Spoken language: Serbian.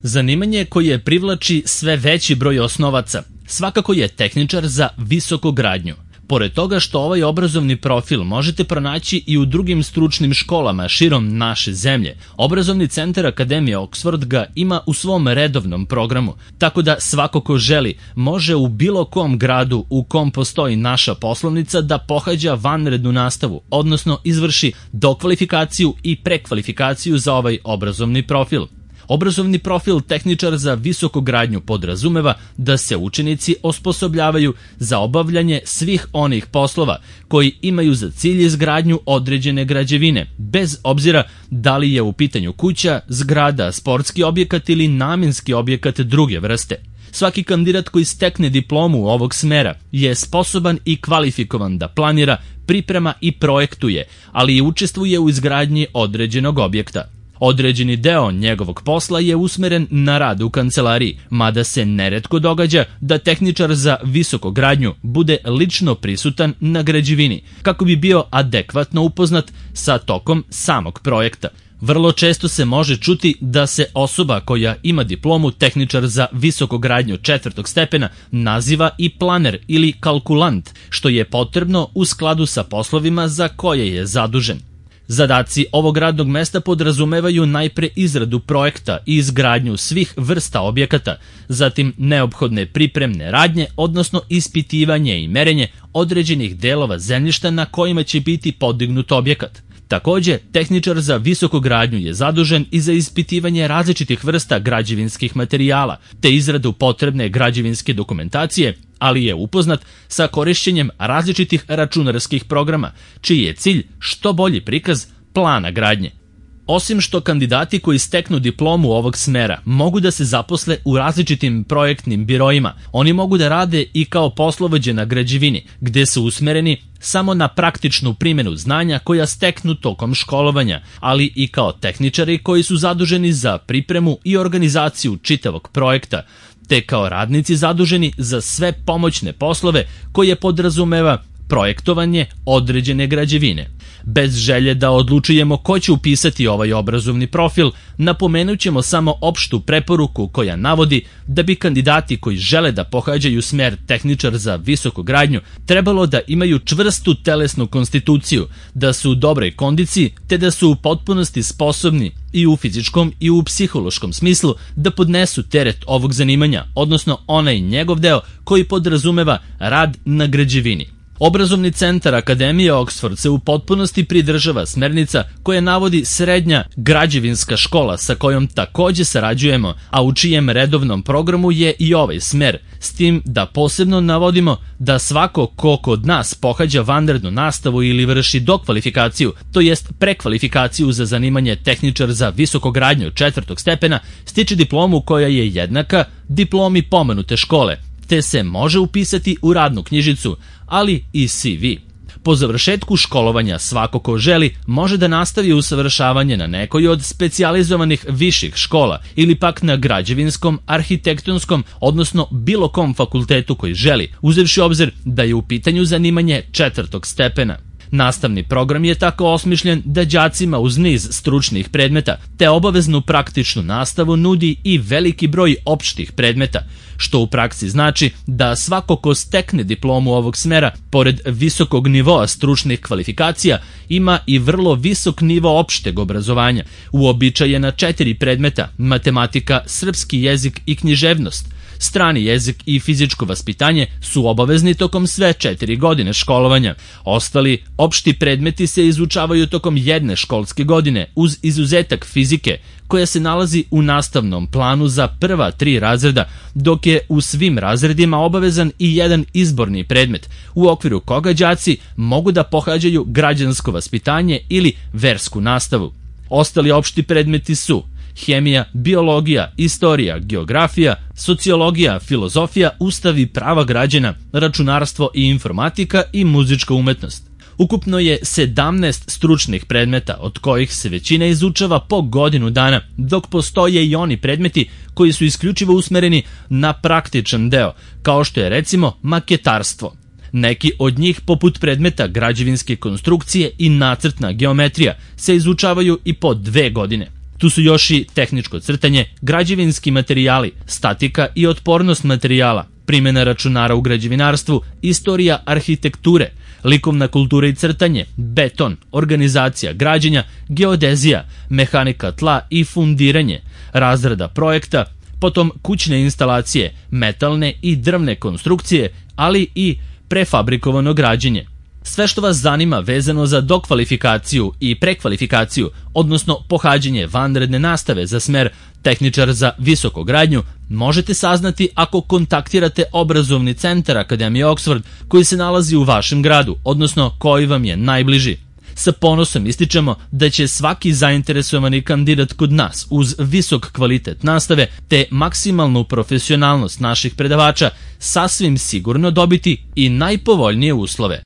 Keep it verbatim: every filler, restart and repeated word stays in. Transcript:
Zanimanje koje privlači sve veći broj osnovaca svakako je tehničar za visokogradnju. Pored toga što ovaj obrazovni profil možete pronaći i u drugim stručnim školama širom naše zemlje, obrazovni centar Akademije Oxford ga ima u svom redovnom programu, tako da svako ko želi može u bilo kom gradu u kom postoji naša poslovnica da pohađa vanrednu nastavu, odnosno izvrši dokvalifikaciju i prekvalifikaciju za ovaj obrazovni profil. Obrazovni profil tehničar za visokogradnju podrazumeva da se učenici osposobljavaju za obavljanje svih onih poslova koji imaju za cilj izgradnju određene građevine, bez obzira da li je u pitanju kuća, zgrada, sportski objekat ili namenski objekat druge vrste. Svaki kandidat koji stekne diplomu ovog smera je sposoban i kvalifikovan da planira, priprema i projektuje, ali i učestvuje u izgradnji određenog objekta. Određeni deo njegovog posla je usmeren na rad u kancelariji, mada se neretko događa da tehničar za visokogradnju bude lično prisutan na građevini, kako bi bio adekvatno upoznat sa tokom samog projekta. Vrlo često se može čuti da se osoba koja ima diplomu tehničar za visokogradnju četvrtog stepena naziva i planer ili kalkulant, što je potrebno u skladu sa poslovima za koje je zadužen. Zadaci ovog radnog mesta podrazumevaju najpre izradu projekta i izgradnju svih vrsta objekata, zatim neophodne pripremne radnje, odnosno ispitivanje i merenje određenih delova zemljišta na kojima će biti podignut objekat. Takođe, tehničar za visokogradnju je zadužen i za ispitivanje različitih vrsta građevinskih materijala, te izradu potrebne građevinske dokumentacije, ali je upoznat sa korišćenjem različitih računarskih programa, čiji je cilj što bolji prikaz plana gradnje. Osim što kandidati koji steknu diplomu ovog smera mogu da se zaposle u različitim projektnim biroima, oni mogu da rade i kao poslovođe na građevini, gde su usmereni samo na praktičnu primjenu znanja koja steknu tokom školovanja, ali i kao tehničari koji su zaduženi za pripremu i organizaciju čitavog projekta, te kao radnici zaduženi za sve pomoćne poslove koje podrazumeva projektovanje određene građevine. Bez želje da odlučujemo ko će upisati ovaj obrazovni profil, napomenut ćemo samo opštu preporuku koja navodi da bi kandidati koji žele da pohađaju smer tehničar za visokogradnju trebalo da imaju čvrstu telesnu konstituciju, da su u dobroj kondiciji, te da su u potpunosti sposobni i u fizičkom i u psihološkom smislu da podnesu teret ovog zanimanja, odnosno onaj njegov deo koji podrazumeva rad na građevini. Obrazovni centar Akademije Oxford se u potpunosti pridržava smernica koje navodi srednja građevinska škola sa kojom takođe sarađujemo, a u čijem redovnom programu je i ovaj smer, s tim da posebno navodimo da svako ko kod nas pohađa vanrednu nastavu ili vrši dokvalifikaciju, to jest prekvalifikaciju za zanimanje tehničar za visokogradnju četvrtog stepena, stiče diplomu koja je jednaka diplomi pomenute škole, te se može upisati u radnu knjižicu, ali i C V. Po završetku školovanja svako ko želi može da nastavi usavršavanje na nekoj od specijalizovanih viših škola ili pak na građevinskom, arhitektonskom, odnosno bilo kom fakultetu koji želi, uzevši obzir da je u pitanju zanimanje četvrtog stepena. Nastavni program je tako osmišljen da đacima uz niz stručnih predmeta te obaveznu praktičnu nastavu nudi i veliki broj opštih predmeta, što u praksi znači da svako ko stekne diplomu ovog smera, pored visokog nivoa stručnih kvalifikacija, ima i vrlo visok nivo opšteg obrazovanja, uobičajena četiri predmeta: matematika, srpski jezik i književnost. Strani jezik i fizičko vaspitanje su obavezni tokom sve četiri godine školovanja. Ostali opšti predmeti se izučavaju tokom jedne školske godine, uz izuzetak fizike, koja se nalazi u nastavnom planu za prva tri razreda, dok je u svim razredima obavezan i jedan izborni predmet, u okviru koga đaci mogu da pohađaju građansko vaspitanje ili versku nastavu. Ostali opšti predmeti su hemija, biologija, istorija, geografija, sociologija, filozofija, ustav i prava građana, računarstvo i informatika i muzička umetnost. Ukupno je sedamnaest stručnih predmeta, od kojih se većina izučava po godinu dana, dok postoje i oni predmeti koji su isključivo usmereni na praktičan deo, kao što je recimo maketarstvo. Neki od njih, poput predmeta građevinske konstrukcije i nacrtna geometrija, se izučavaju i po dve godine. Tu su još i tehničko crtanje, građevinski materijali, statika i otpornost materijala, primjena računara u građevinarstvu, istorija arhitekture, likovna kultura i crtanje, beton, organizacija građenja, geodezija, mehanika tla i fundiranje, razrada projekta, potom kućne instalacije, metalne i drvne konstrukcije, ali i prefabrikovano građenje. Sve što vas zanima vezano za dokvalifikaciju i prekvalifikaciju, odnosno pohađanje vanredne nastave za smer tehničar za visokogradnju, možete saznati ako kontaktirate obrazovni centar Akademije Oxford koji se nalazi u vašem gradu, odnosno koji vam je najbliži. Sa ponosom ističemo da će svaki zainteresovani kandidat kod nas uz visok kvalitet nastave te maksimalnu profesionalnost naših predavača sasvim sigurno dobiti i najpovoljnije uslove.